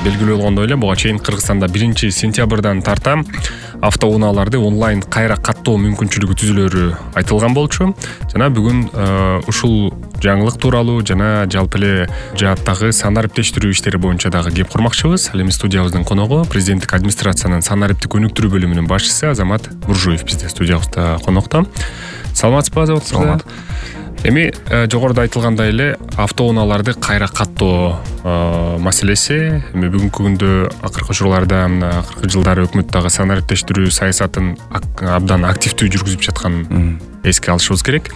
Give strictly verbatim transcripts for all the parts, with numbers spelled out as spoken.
белгилүү болгондой эле буга чейин Кыргызстанда биринчи сентябрдан тарта автоунааларды онлайн кайра каттоо мүмкүнчүлүгү түзүлөрү айтылган болчу. Жана бүгүн ушул жаңылык тууралуу жана жалпы эле жааттагы санариптештирүү иштери боюнча дагы кеп курмакчыбыз. Ал эми студиябыздын коногу президенттик администрациянын санариптик өнүктүрүү бөлүмүнүн башчысы Азамат Буржуев бизде студиябызда конокто. Саламатсызбы, Азамат? Саламат. Эми жогоруда айтылгандай эле автоунааларды кайра каттоо маселеси эми бүгүнкү күндө акыркы учурларда мына акыркы жылдары өкмөт дагы санариптештирүү саясатын абдан активдүү жүргүзүп жатканын эске алышыбыз керек.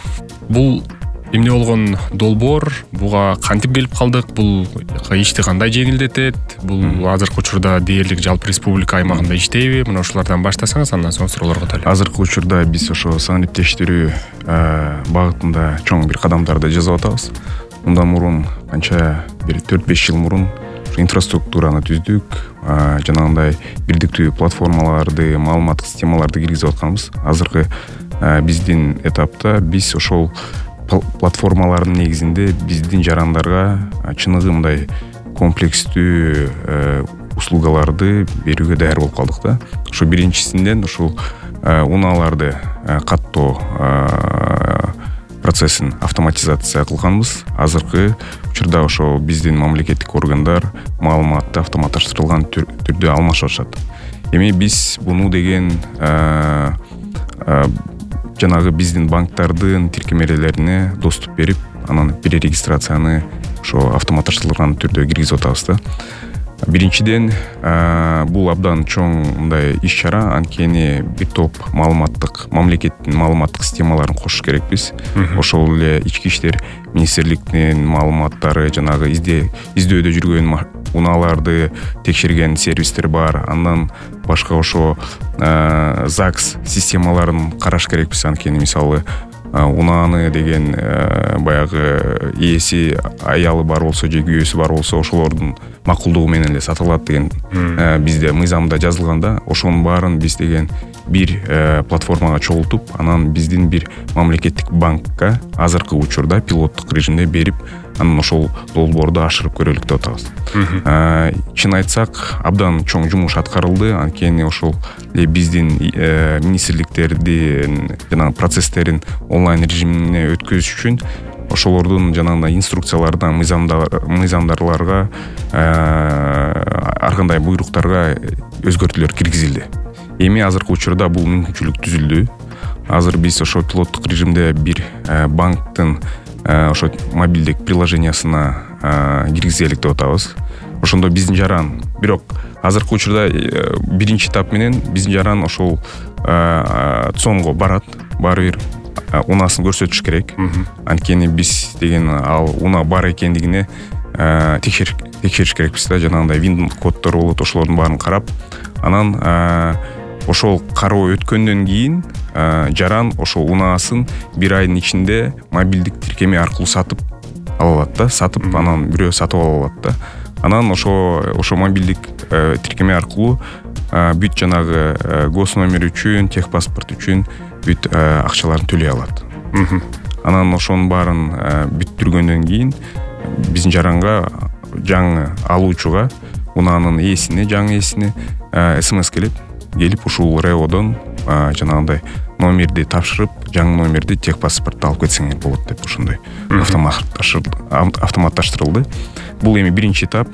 Бул эмне болгон долбоор, буга кантип келип калдык, бул ишти кандай жеңилдетет, бул азыркы учурда дээрлик жалпы республика аймагында иштейби? Мына ушулардан баштасаңыз, андан соң суроолорго өтөлү. Азыркы учурда биз ошо санариптештирүү багытында чоң бир кадамдарды жасап атабыз. Мындан мурун канча бир төрт беш жыл мурун инфраструктураны түздүк, жанагындай бирдиктүү платформаларды, маалыматтык системаларды киргизип атканбыз. Азыркы биздин этапта биз ошол платформалардын негизинде биздин жарандарга чыныгы мындай комплекстүү услугаларды берүүгө даяр болуп калдык да. Ошо биринчисинен ушул унааларды каттоо процессин автоматизация кылганбыз. Азыркы учурда ошо биздин мамлекеттик органдар маалыматты автоматташтырылган түрдө алмашып атышат. Эми биз буну деген жанагы биздин банктардын тиркемелерине доступ берип, анан перерегистрацияны ошо автоматташтырылган түрдө киргизип атабыз да. Биринчиден, бул абдан чоң мындай иш-чара, анткени бир топ маалыматтык, мамлекеттин маалыматтык системаларын кошуш керекпиз. Ошол эле ички иштер министрликтин маалыматтары, жанагы издөөдө жүргөн унааларды текшерген сервистер бар. Андан башка ошо ЗАГС системаларын караш керекпиз, анткени мисалы унааны деген баягы ээси, аялы бар болсо же күйөөсү бар болсо ошолордун макулдугу менен эле сатылат деген бизде мыйзамда жазылган да. Ошонун баарын биз деген бир платформага чогултуп, анан биздин бир мамлекеттик банкка азыркы учурда пилоттук режимде берип, анан ошол долбоорду ашырып көрөлүк деп атабыз. Чын айтсак, абдан чоң жумуш аткарылды, анткени ошол биздин министрликтердин жана процесстерин онлайн режимине өткөзүш үчүн ошолордун жанагындай инструкцияларына, мыйзамдарларга, ар кандай буйруктарга өзгөртүүлөр киргизилди. Эми азыркы учурда бул мүмкүнчүлүк түзүлдү. Азыр биз ошо пилоттук режимде бир банктын ошо мобилдик приложениясына киргизелик деп атабыз. Ошондо биздин жаран, бирок азыркы учурда биринчи этап менен биздин жаран ошол цонго барат, баары бир унасын көрсөтүш керек. Анткени биз деген ал уна бар экендигине текшериш керекпиз да, жанагындай вин коддор болот, ошолордун баарын карап, анан ошол кароо өткөндөн кийин жаран ошол унаасын бир айдын ичинде мобилдик тиркеме аркылуу сатып ала алат да, сатып анан бирөө сатып ала алат да. Анан ошо ошо мобилдик тиркеме аркылуу бүт жанагы гос номер үчүн, техпаспорт үчүн бүт акчаларын төлөй алат. Анан ошонун баарын бүттүргөндөн кийин биздин жаранга, жаңы алуучуга, унаанын ээсине, жаңы ээсине смс келет. Келип ушул РЭОдон жанагындай номерди тапшырып, жаңы номерди, техпаспортду алып кетсеңер болот деп ошондой автоматташтырылды. Бул эми биринчи этап.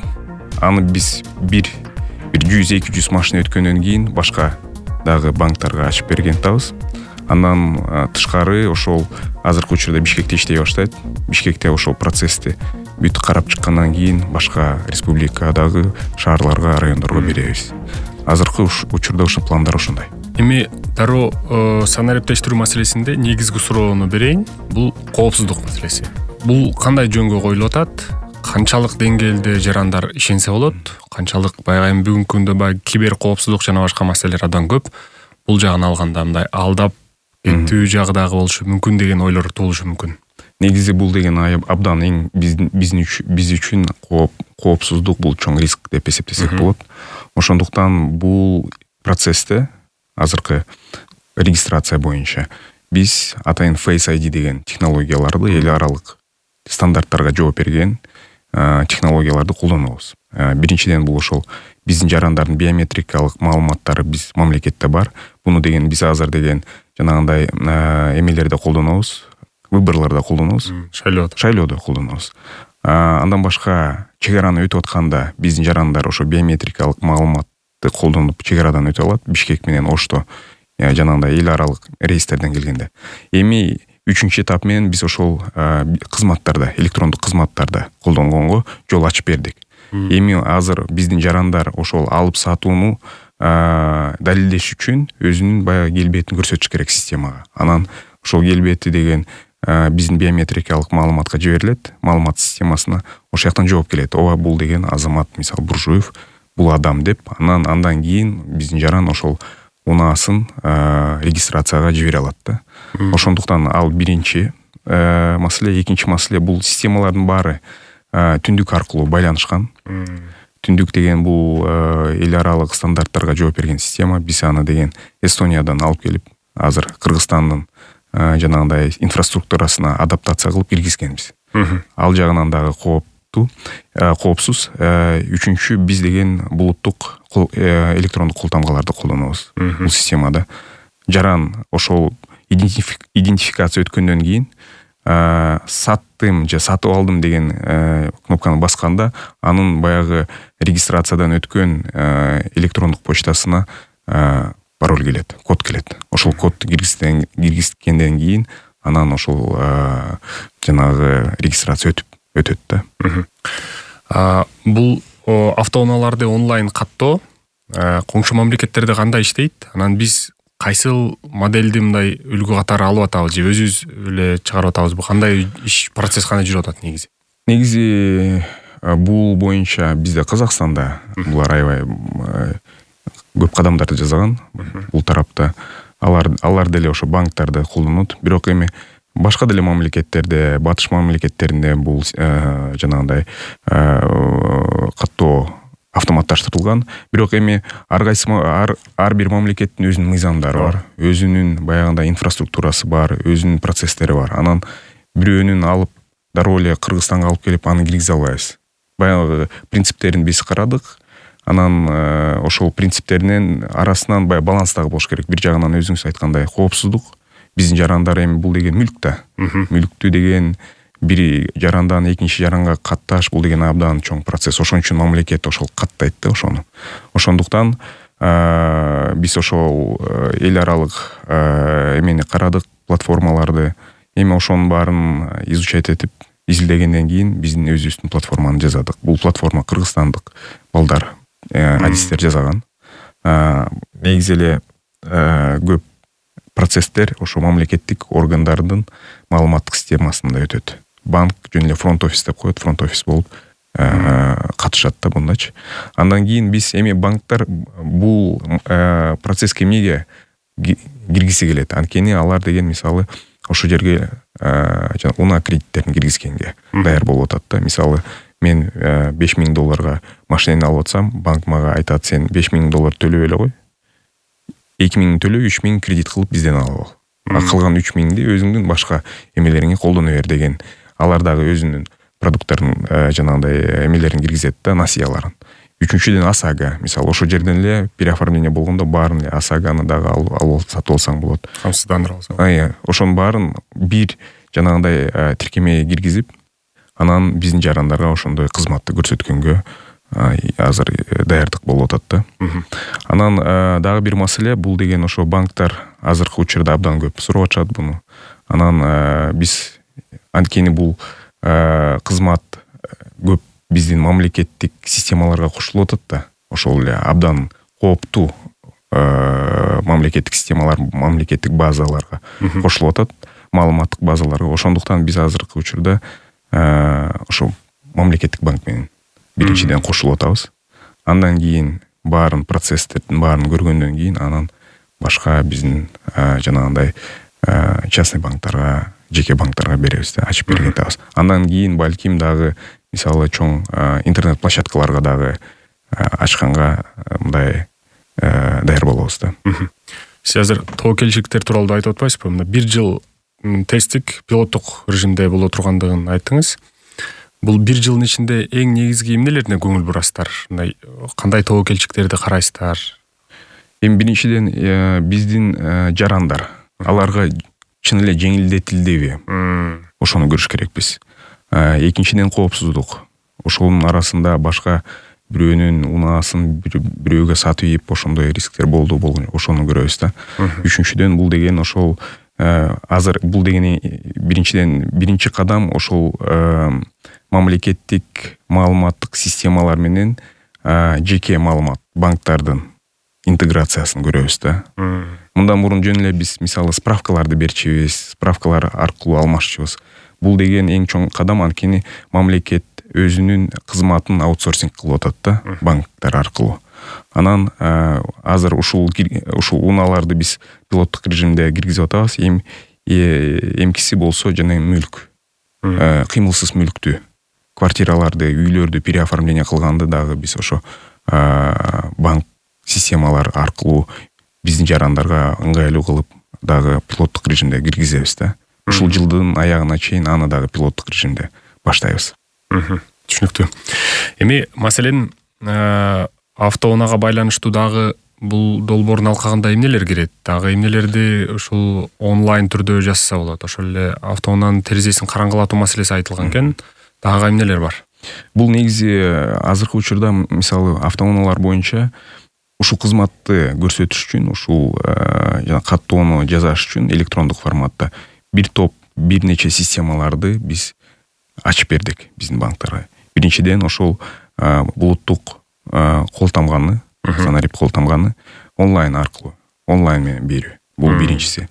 Аны биз бир бир жүз эки жүз машина өткөндөн кийин башка дагы банктарга ачып берген атабыз. Андан тышкары ошол азыркы учурда Бишкекте иштей баштайт. Бишкекте ошол процессти бүт карап чыккандан кийин башка республикадагы шаарларга, райондорго беребиз. Азыркы учурда ушул пландар ошондой. Эми дароо санариптештирүү маселесинде негизги суроону берейин. Бул коопсуздук маселеси. Бул кандай жөнгө коюлуп атат? Канчалык деңгээлде жарандар ишенсе болот? Канчалык баягы эми бүгүнкү күндө баягы кибер коопсуздук жана башка маселелер абдан көп. Бул жагын алганда мындай алдап кеттүү жагы дагы болушу мүмкүн деген ойлор туулушу мүмкүн. Негизи бул деген абдан эң биздин биз үчүн коопсуздук бул чоң риск деп эсептесек болот. Ошондуктан бул процессте азыркы регистрация боюнча биз атайын Face ай ди деген технологияларды эл аралык стандарттарга жооп берген, технологияларды колдонобуз. Биринчиден бул ошол биздин жарандардын биометрикалык маалыматтары биз мамлекетте бар. Буну деген биз азыр деген жанагындай эмелерде колдонобуз, выборлордо колдонобуз, шайлоодо. Шайлоодо колдонобуз. Андан башка чек араны өтүп атканда биздин жарандар ошо биометрикалык маалыматты колдонуп чек арадан өтө алат. Бишкек менен Ошто жанагындай эл аралык рейстерден келгенде. Эми үчүнчү этап менен биз ошол кызматтарда, электрондук кызматтарда колдонгонго жол ачып бердик. Эми азыр биздин жарандар ошол алып сатууну далилдеш үчүн өзүнүн баягы келбетин көрсөтүш керек системага. Анан ошол келбети деген биздин биометрикалык маалыматка жиберилет, маалымат системасына. Ошол жактан жооп келет. Ооба, бул деген Азамат, мисалы Буржуев, бул адам деп. Анан андан кийин биздин жаран ошол унаасын регистрацияга жибере алат да. Ошондуктан ал биринчи маселе. Экинчи маселе, бул системалардын баары түндүк аркылуу байланышкан. Түндүк деген бул эл аралык стандарттарга жооп берген система. Биз аны деген Эстониядан алып келип, азыр Кыргызстандын жанагындай инфраструктурасына адаптация кылып киргизгенбиз. Ал жагынан дагы кооптуу, коопсуз. Үчүнчү, биз деген булуттук электрондук кол тамгаларды колдонобуз. Бул системада жаран ошол идентификация өткөндөн кийин саттым же сатып алдым деген кнопканы басканда анын баягы регистрациядан өткөн электрондук почтасына пароль келет, код келет. Ошол кодду киргизгенден кийин анан ошол жанагы регистрация өтүп өтөт да. Бул автоунааларды онлайн каттоо коңшу мамлекеттерде кандай иштейт? Анан биз кайсыл модельди мындай үлгү катары алып атабыз же өзүбүз эле чыгарып атабызбы? Кандай иш процесс кандай жүрүп атат негизи? Негизи бул боюнча бизде Казакстанда булар аябай көп кадамдарды жасаган. Бул тарапта алар алар деле ошо банктарды колдонот. Бирок эми башка деле мамлекеттерде, батыш мамлекеттеринде бул жанагындай каттоо автоматташтырылган. Бирок эми ар кайсы ар, ар бир мамлекеттин өзүнүн мыйзамдары бар, өзүнүн баягындай инфраструктурасы бар, өзүнүн процесстери бар. Анан бирөөнүн алып дароо эле Кыргызстанга алып келип аны киргизе албайбыз. Баягы принциптерин биз карадык. Анан ошол принциптеринин арасынан бая баланс дагы болуш керек. Бир жагынан өзүңүз айткандай коопсуздук. Биздин жарандар эми бул деген мүлк да. Мүлктү деген бир жарандан экинчи жаранга катташ, бул деген абдан чоң процесс. Ошон үчүн мамлекет ошол каттайт да ошону. Ошондуктан биз ошол эл аралык эмени карадык, платформаларды. Эми ошонун баарын изучать этип, изилдегенден кийин биздин өзүбүздүн платформаны жасадык. Бул платформа кыргызстандык балдар, адистер жасаган. Негизи эле көп процесстер ошо мамлекеттик органдардын маалыматтык системасында өтөт. Банк жөн эле фронт офис деп коет, фронт офис болуп катышат да бундачы. Андан кийин биз эми банктар бул процесске эмнеге киргиси келет? Анткени алар деген мисалы ошо жерге унаа кредиттерин киргизгенге даяр болуп атат да. Мисалы мен беш миң долларга машинени алып атсам, банк мага айтат: сен беш миң доллар төлөп эле кой. эки миң төлөп, үч миң кредит кылып бизден алып ал. А калган үч миңди өзүңдүн башка эмелериңе колдоно бер деген. Алар дагы өзүнүн продукттарын жанагындай эмелерин киргизет да, насыяларын. Үчүнчүдөн ОСАГО, мисалы ошо жерден эле переоформление болгондо баарын эле ОСАГОны дагы алып сатып алсаң болот. Камсыздандырып алсаң. Ая, ошонун баарын бир жанагындай тиркемеге киргизип, анан биздин жарандарга ошондой кызматты көрсөткөнгө азыр даярдык болуп атат да. Анан дагы бир маселе, бул деген ошо банктар азыркы учурда абдан көп сурап атышат буну. Анан биз анткени бул кызмат көп биздин мамлекеттик системаларга кошулуп атат да. Ошол эле абдан кооптуу мамлекеттик системалар, мамлекеттик базаларга кошулуп атат, маалыматтык базаларга. Ошондуктан биз азыркы учурда ошо мамлекеттик банк менен биринчиден кошулуп атабыз. Андан кийин баарын процесстердин баарын көргөндөн кийин анан башка биздин жанагындай частный банктарга, жеке банктарга беребиз да, ачып берген атабыз. Андан кийин балким дагы мисалы чоң интернет площадкаларга дагы ачканга мындай даяр болобуз да. Сиз азыр тобокелчиликтер тууралуу айтып атпайсызбы? Мына бир жыл тесттик пилоттук режимде боло тургандыгын айттыңыз. Бул бир жылдын ичинде эң негизги эмнелерине көңүл бурасыздар? Мындай кандай тобокелчиктерди карайсыздар? Эми биринчиден биздин жарандар, аларга чын эле жеңилдетилдиби? Ошону көрүш керекпиз. Экинчиден коопсуздук. Ошонун арасында башка бирөөнүн унаасын бирөөгө сатып ийип ошондой рисктер болду болгон. Ошону көрөбүз да. Үчүнчүдөн бул деген ошол азыр бул деген биринчиден биринчи кадам ошол мамлекеттик маалыматтык системалар менен жеке маалымат банктардын интеграциясын көрөбүз да. Мындан мурун жөн эле биз мисалы справкаларды берчүбүз, справкалар аркылуу алмашчубуз. Бул деген эң чоң кадам, анткени мамлекет өзүнүн кызматын аутсорсинг кылып атат да, банктар аркылуу. Анан азыр ушул ушул унааларды биз пилоттук режимде киргизип атабыз. Эми эмкиси болсо жана мүлк, кыймылсыз мүлктү, квартираларды, үйлөрдү переоформление кылганды дагы биз ошо банк системалар аркылуу биздин жарандарга ыңгайлуу кылып дагы пилоттук режимде киргизебиз да. Ушул жылдын аягына чейин аны дагы пилоттук режимде баштайбыз. Түшүнүктүү. Эми маселен автоунаага байланыштуу дагы бул долбоордун алкагында эмнелер кирет? Дагы эмнелерди ушул онлайн түрдө жазса болот? Ошол эле автоунаанын терезесин караңгылатуу маселеси айтылган экен. Дагы эмнелер бар? Бул негизи азыркы учурда мисалы автоунаалар боюнча ушул кызматты көрсөтүш үчүн, ушул жана каттоону жасаш үчүн электрондук форматта бир топ бир нече системаларды биз ачып бердик биздин банктарга. Биринчиден ошол булуттук кол тамганы, санарип кол тамганы онлайн аркылуу, онлайн менен берүү. Бул биринчиси.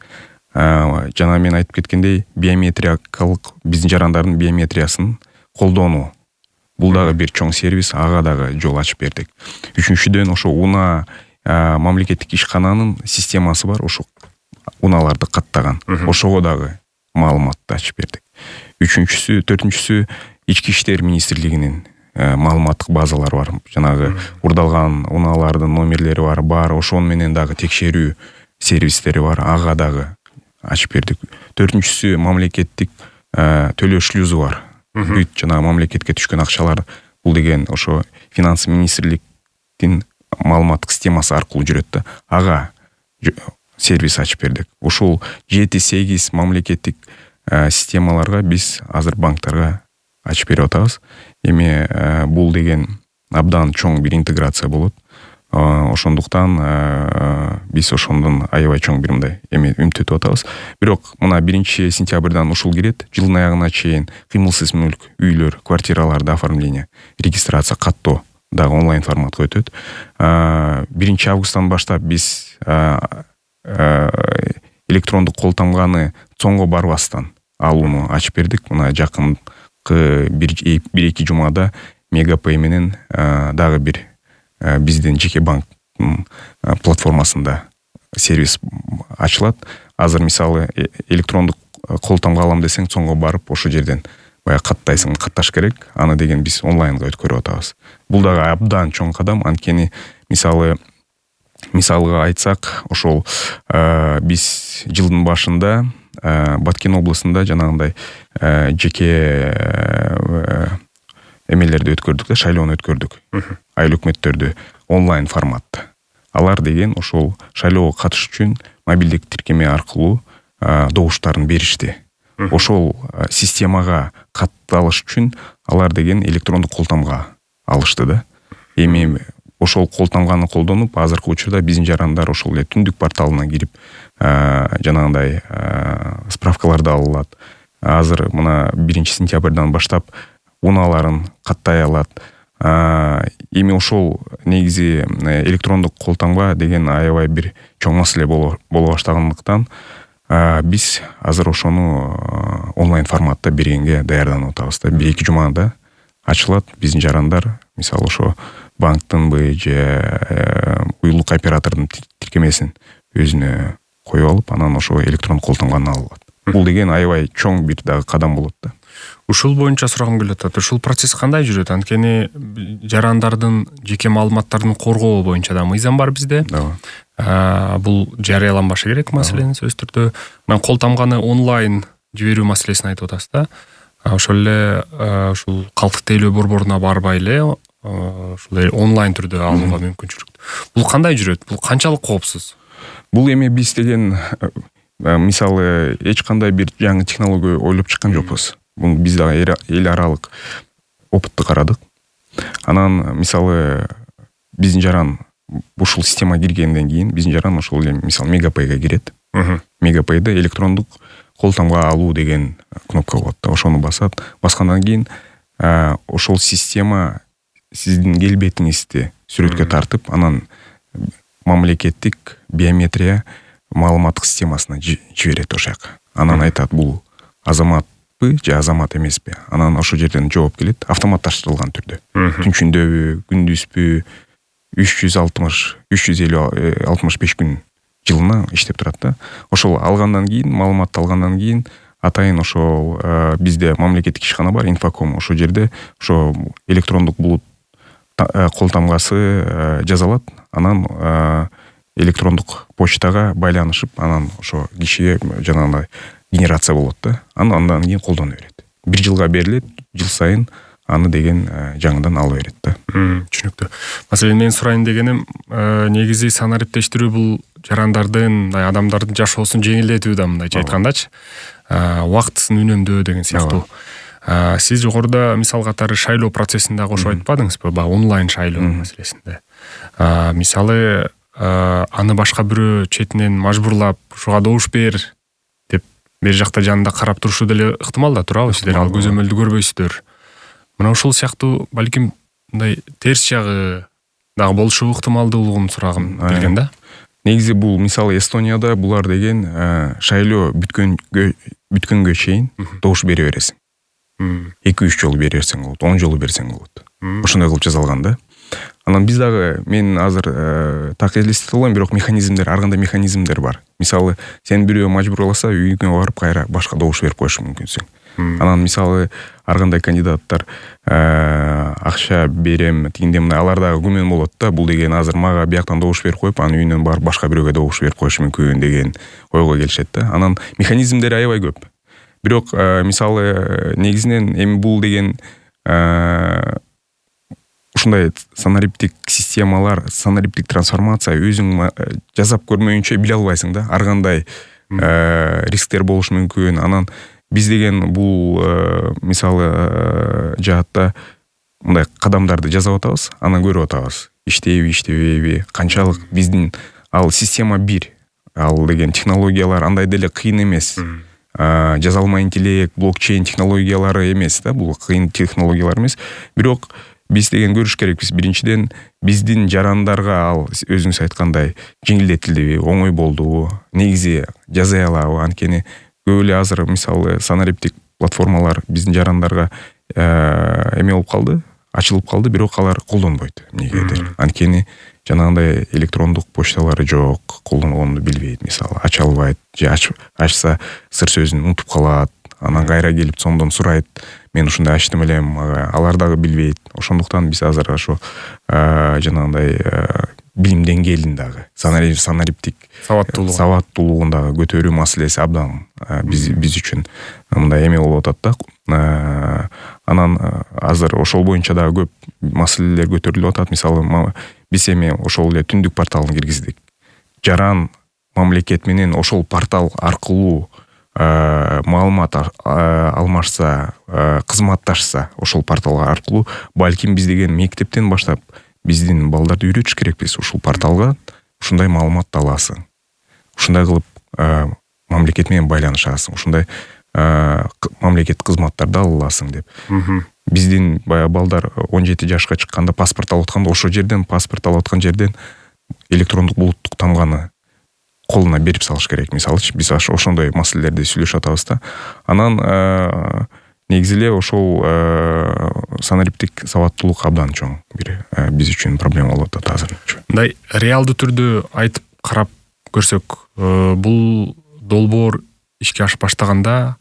Жана мен айтып кеткендей, биометриялык биздин жарандардын биометриясын колдонуу. Бул дагы бир чоң сервис, ага дагы жол ачып бердик. Үчүнчүдөн ошо унаа мамлекеттик ишкананын системасы бар, ошо унааларды каттаган. Ошого дагы маалыматты ачып бердик. Үчүнчүсү, төртүнчүсү ички иштер министрлигинин маалыматтык базалары бар. Жанагы урдалган унаалардын номерлери бар, бар, ошон менен дагы текшерүү сервистери бар, ага дагы ачып бердик. Төртүнчүсү мамлекеттик төлөө шлюзу бар. Бүт жана мамлекетке түшкөн акчалар бул деген ошо финанс министрликтин маалыматтык системасы аркылуу жүрөт да. Ага сервис ачып бердик. Ушул жети сегиз мамлекеттик системаларга биз азыр банктарга ачып берип атабыз. Эми бул деген абдан чоң бир интеграция болот. Ошондуктан биз ошондон аябай чоң бир мындай эми үмүттөнүп атабыз. Бирок мына биринчи сентябрдан ушул кирет. Жылдын аягына чейин кыймылсыз мүлк, үйлөр, квартираларды оформление, регистрация, каттоо дагы онлайн форматка өтөт. биринчи августтан баштап биз электрондук кол тамганы цоңго барбастан алууну ачып бердик. Мына жакынкы бир эки жумада Мегапэй менен дагы бир биздин жеке банктын платформасында сервис ачылат. Азыр мисалы электрондук кол тамга алам десең, цоңго барып ошол жерден бая каттайсың, катташ керек. Аны деген биз онлайнга өткөрүп атабыз. Бул дагы абдан чоң кадам, анткени мисалы мисалга айтсак, ошол биз жылдын башында Баткен областында жанагындай жеке эмелерди өткөрдүк да, шайлоону өткөрдүк. Айыл өкмөттөрдү онлайн форматта. Алар деген ошол шайлоого катышыш үчүн мобилдик тиркеме аркылуу добуштарын беришти. Ошол системага катталыш үчүн алар деген электрондук кол тамга алышты да. Эми ошол кол тамганы колдонуп, азыркы учурда биздин жарандар ошол эле түндүк порталына кирип жанагындай справкаларды ала алат. Азыр мына биринчи сентябрдан баштап унааларын каттай алат. Эми ошол негизи электрондук кол тамга деген аябай бир чоң маселе боло баштагандыктан биз азыр ошону онлайн форматта бергенге даярданып атабыз да. бир эки жумада ачылат. Биздин жарандар мисалы ошо банктынбы же уюлдук оператордун тиркемесин өзүнө коюп алып, анан ошо электрондук кол тамганы ала алат. Бул деген аябай чоң бир дагы кадам болот да. Ушул боюнча сурагым келип атат. Ушул процесс кандай жүрөт? Анткени жарандардын жеке маалыматтарын коргоо боюнча да мыйзам бар бизде. Бул жарыяланбашы керек маселени сөзсүз түрдө. Мен кол тамганы онлайн жиберүү маселесин айтып атасыз да. ошол эле ушул калктык тейлөө борборуна барбай эле ушул онлайн түрдө алууга мүмкүнчүлүк. Бул кандай жүрөт? Бул канчалык коопсуз? Бул эми биз деген мисалы эч кандай бир жаңы технология ойлоп чыккан жокпуз. Бул биз дагы эл аралык опытты карадык. Анан мисалы биздин жаран ушул система киргенден кийин биздин жаран ошол эле мисалы Мегапейге кирет. Мегапейде электрондук кол тамга алуу деген кнопка болот да. Ошону басат. Баскандан кийин ошол система сиздин келбетиңизди сүрөткө тартып, анан мамлекеттик биометрия маалыматтык системасына жиберет ошол жака. Анан айтат, бул азаматпы же азамат эмеспи. Анан ошол жерден жооп келет автоматташтырылган түрдө. Түнчүндөбү, күндүзбү, үч жүз алтымыш, үч жүз элүү алтымыш беш күн жылына иштеп турат да. Ошол алгандан кийин, маалыматты алгандан кийин атайын ошол бизде мамлекеттик ишкана бар, Инфоком. Ошол жерде ошо электрондук булут кол тамгасы жазалат. Анан электрондук почтага байланышып, анан ошо кишиге жанагындай генерация болот да. Анан андан кийин колдоно берет. Бир жылга берилет, жыл сайын аны деген жаңыдан ала берет да. Түшүнүктүү. Маселен, мен сурайын дегеним, негизи санариптештирүү бул жарандардын, адамдардын жашоосун жеңилдетүү да, мындайча айткандачы. Убактысын үнөмдөө деген сыяктуу. Сиз жогоруда мисал катары шайлоо процессинде кошуп айтпадыңызбы? Баягы онлайн шайлоо маселесинде. Мисалы, аны башка бирөө четинен мажбурлап, ушуга добуш бер деп бер жакта жанында карап турушу деле ыктымал да турабы? Сиздер ал көзөмөлдү көрбөйсүздөр. Мына ушул сыяктуу балким мындай терс жагы дагы болушу ыктымалдуулугун сурагым келген да. Негизи бул мисалы Эстонияда булар деген шайлоо бүткөнгө бүткөнгө чейин добуш бере бересиң. эки үч жолу бере берсең болот, он жолу берсең болот. Ошондой кылып жазалган да. Анан биз дагы, мен азыр так элестете албайм, бирок механизмдер, ар кандай механизмдер бар. Мисалы, сен бирөө мажбурласа, үйүңө барып кайра башка добуш берип коюшу мүмкүнсүң. Анан мисалы ар кандай кандидаттар акча берем, тигиндей мындай, алар дагы күмөн болот да. Бул деген азыр мага бияктан добуш берип коюп, анын үйүнөн барып башка бирөөгө добуш берип коюшу мүмкүн деген ойго келишет да. Анан механизмдери аябай көп. Бирок мисалы негизинен эми бул деген ушундай санариптик системалар, санариптик трансформация өзүң жасап көрмөйүнчө биле албайсың да. Ар кандай рисктер болушу мүмкүн. Анан биз деген бул мисалы жаатта мындай кадамдарды жасап атабыз, анан көрүп атабыз. Иштейби, иштебейби, канчалык биздин ал система бир. Ал деген технологиялар андай деле кыйын эмес. Жазалма интеллект, блокчейн технологиялары эмес да, бул кыйын технологиялар эмес. Бирок биз деген көрүш керекпиз. Биринчиден, биздин жарандарга ал өзүңүз айткандай жеңилдетилдиби, оңой болдубу, негизи жазай алабы? Анткени көп эле азыр мисалы санариптик платформалар биздин жарандарга эме болуп калды, ачылып калды, бирок алар колдонбойт. Эмнегедир? Анткени жанагындай электрондук почталары жок, колдонгонду билбейт, мисалы, ача албайт, же ачса сыр сөзүн унутуп калат, анан кайра келип сондон сурайт, мен ушундай ачтым элем, алар дагы билбейт. Ошондуктан биз азыр ошо жанагындай билим деңгээлин дагы, санариптик сабаттуулугун дагы көтөрүү маселеси абдан биз биз үчүн мындай эме болуп атат да. Анан азыр ошол боюнча дагы көп маселелер көтөрүлүп атат. Мисалы, биз эми ошол эле түндүк порталын киргиздик. Жаран мамлекет менен ошол портал аркылуу маалымат алмашса, кызматташса, ошол портал аркылуу, балким биз деген мектептен баштап биздин балдарды үйрөтүш керекпиз. Ушул порталга ушундай маалыматты аласың. Ушундай кылып мамлекет менен байланышасың. Ушундай мамлекет кызматтарды ала аласың деп. Биздин баягы балдар он жети жашка чыкканда паспорт алып атканда, ошол жерден паспорт алып аткан жерден электрондук булуттук тамганы колуна берип салыш керек. Мисалычы, биз ошондой маселелерди сүйлөшүп атабыз да. Анан негизи эле ошол санариптик сабаттуулук абдан чоң бир биз үчүн проблема болуп атат азырынча. Мындай реалдуу түрдө айтып карап көрсөк, бул долбоор ишке ашып баштаганда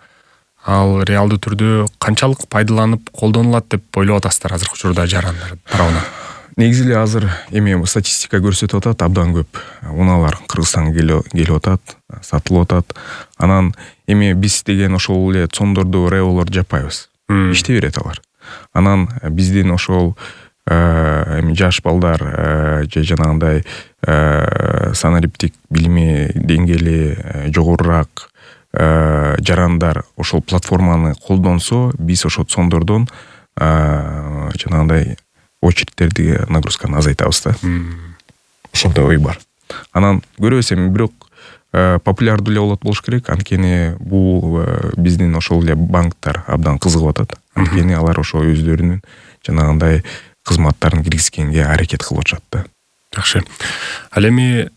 ал реалдуу түрдө канчалык пайдаланып колдонулат деп ойлоп атасыздар азыркы учурда жарандар тарабынан? Негизи эле азыр эми статистика көрсөтүп атат, абдан көп унаалар Кыргызстанга келип атат, сатылып атат. Анан эми биз деген ошол эле цондорду, реолорду жаппайбыз. иштей берет алар. Анан биздин ошол эми жаш балдар же жанагындай санариптик билими деңгээли жогорураак жарандар ошол платформаны колдонсо, биз ошол сондордон жанагындай очередтерди нагрузканы азайтабыз да. Ошондой ой бар. Анан көрөбүз эми бирок популярдуу эле болот болуш керек. Анткени бул биздин ошол эле банктар абдан кызыгып атат. Анткени алар ошо өздөрүнүн жанагындай кызматтарын киргизгенге аракет кылып атышат да. Жакшы. Ал эми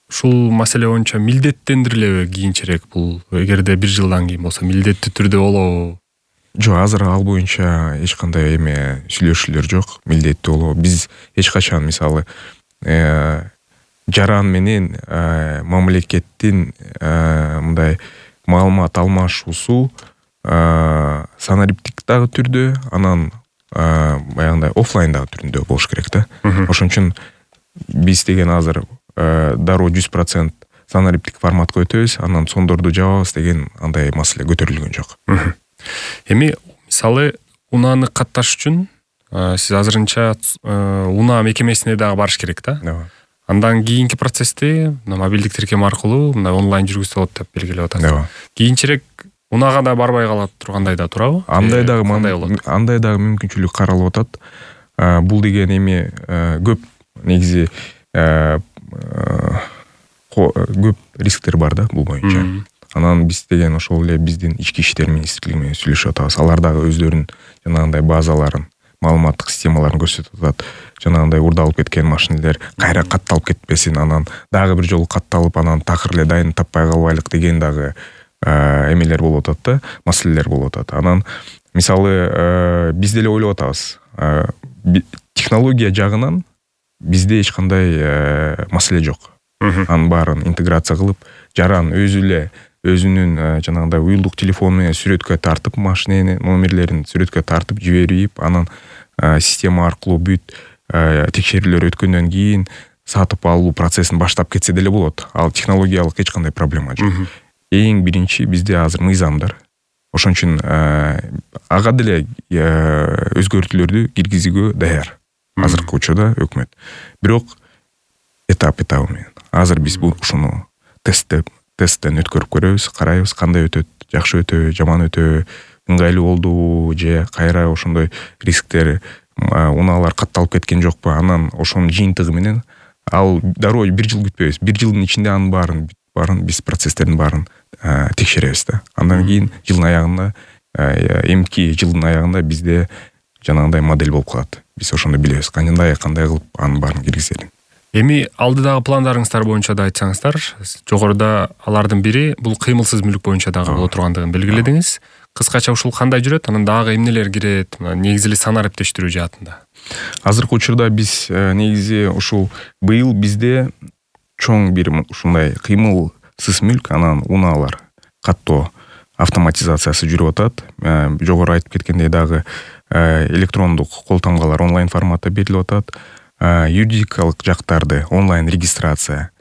ушул маселе боюнча милдеттендирилеби кийинчерээк бул? Эгерде бир жылдан кийин болсо милдеттүү түрдө болобу? Жок, азыр ал боюнча эч кандай эме сүйлөшүүлөр жок. Милдеттүү болобу? Биз эч качан мисалы жаран менен мамлекеттин мындай маалымат алмашуусу санариптик дагы түрдө, анан баягындай офлайндагы түрүндө болуш керек да. Ошон үчүн биз деген азыр дароо жүз процент санариптик форматка өтөбүз, анан сондорду жабабыз деген андай маселе көтөрүлгөн жок. Эми мисалы унааны катташ үчүн сиз азырынча унаа мекемесине дагы барыш керек да. Андан кийинки процессти мобилдик тиркем аркылуу мындай онлайн жүргүзсө болот деп белгилеп атасыз. Кийинчерээк унаага да барбай кала тургандай да турабы? Андай дагы андай дагы мүмкүнчүлүк каралып атат. Бул деген эми көп негизи көп рисктер бар да бул боюнча. Анан биз деген ошол эле биздин ички иштер министрлиги менен сүйлөшүп атабыз. Алар дагы өздөрүнүн жанагындай базаларын, маалыматтык системаларын көрсөтүп атат. Жанагындай урдалып кеткен машинелер кайра катталып кетпесин, анан дагы бир жолу катталып, анан такыр эле дайын таппай калбайлык деген дагы эмелер болуп атат да, маселелер болуп атат. Анан мисалы биз деле ойлоп атабыз. Технология жагынан бизде эч кандай маселе жок. Анын баарын интеграция кылып, жаран өзү эле өзүнүн жанагындай уюлдук телефону менен сүрөткө тартып, машиненин номерлерин сүрөткө тартып жиберип, анан система аркылуу бүт текшерүүлөр өткөндөн кийин сатып алуу процессин баштап кетсе деле болот. Ал технологиялык эч кандай проблема жок. Эң биринчи бизде азыр мыйзамдар. Ошон үчүн ага деле өзгөртүүлөрдү киргизүүгө даяр азыркы учурда өкмөт. Бирок этап этабы менен. Азыр биз бул ушуну тесттеп, тесттен өткөрүп көрөбүз, карайбыз кандай өтөт, жакшы өтөбү, жаман өтөбү, ыңгайлуу болдубу же кайра ошондой рисктер, унаалар катталып кеткен жокпу. Анан ошонун жыйынтыгы менен ал дароо бир жыл күтпөйбүз. Бир жылдын ичинде анын баарын баарын биз процесстердин баарын текшеребиз да. Андан кийин жылдын аягында, эмки жылдын аягында бизде жанагындай модель болуп калат. Биз ошондо билебиз кандай кандай кылып анын баарын киргизерин. Эми алдыдагы пландарыңыздар боюнча да айтсаңыздар, жогоруда алардын бири бул кыймылсыз мүлк боюнча дагы боло тургандыгын белгиледиңиз. Кыскача ушул кандай жүрөт? Анан дагы эмнелер кирет? Негизи эле санариптештирүү жаатында. Азыркы учурда биз негизи ушул быйыл бизде чоң бир ушундай кыймылсыз мүлк, анан унаалар каттоо автоматизациясы жүрүп атат. Жогору айтып кеткендей дагы электрондук кол тамгалар онлайн форматта берилип атат. Юридикалык жактарды онлайн регистрация,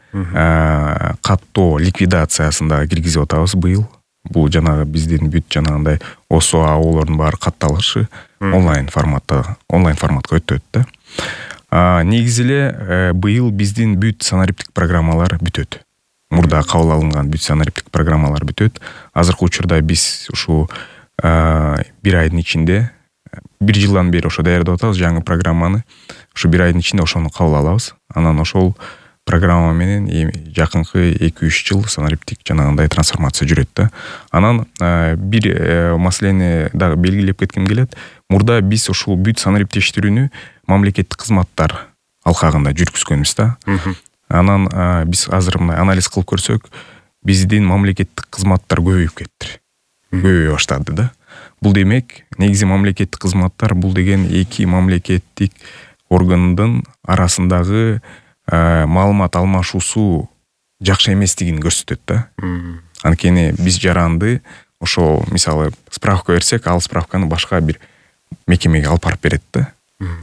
каттоо ликвидациясын дагы киргизип атабыз быйыл. Бул жанагы биздин бүт жанагындай ОСО аолордун баары катталышы онлайн форматта, онлайн форматка өтөт да. Негизи эле быйыл биздин бүт санариптик программалар бүтөт. Мурда кабыл алынган бүт санариптик программалар бүтөт. Азыркы учурда биз ушу бир айдын ичинде, бир жылдан бери ошо даярдап атабыз жаңы программаны. Ушу бир айдын ичинде ошону кабыл алабыз. Анан ошол программа менен жакынкы эки үч жыл санариптик жанагындай трансформация жүрөт да. Анан бир маселени дагы белгилеп кетким келет. Мурда биз ушул бүт санариптештирүүнү мамлекеттик кызматтар алкагында жүргүзгөнбүз да. Анан биз азыр мына анализ кылып көрсөк, биздин мамлекеттик кызматтар көбөйүп кетти. Көбөйө баштады да. Бул демек, негизи мамлекеттик кызматтар бул деген эки мамлекеттик органдын арасындагы маалымат алмашуусу жакшы эместигин көрсөтөт да. Анткени биз жаранды ошо мисалы справка берсек, ал справканы башка бир мекемеге алып барып берет да,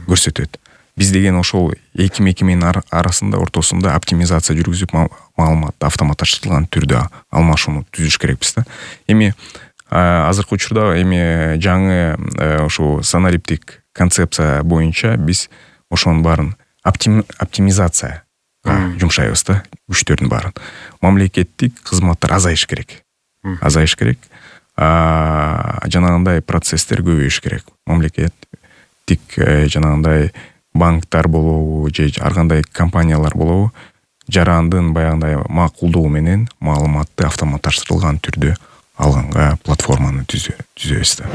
көрсөтөт. Биз деген ошол эки мекеменин арасында ортосунда оптимизация жүргүзүп маалыматты автоматташтырылган түрдө алмашууну түзүш керекпиз да. Эми азыркы учурда эми жаңы ошо санариптик концепция боюнча биз ошонун баарын оптимизация жумшайбыз да, күчтөрдүн баарын. Мамлекеттик кызматтар азайыш керек. Азайыш керек. Жанагындай процесстер көбөйүш керек. Мамлекеттик жанагындай банктар болобу же ар кандай компаниялар болобу, жарандын баягындай макулдугу менен маалыматты автоматташтырылган түрдө алганга платформаны түзөбүз да.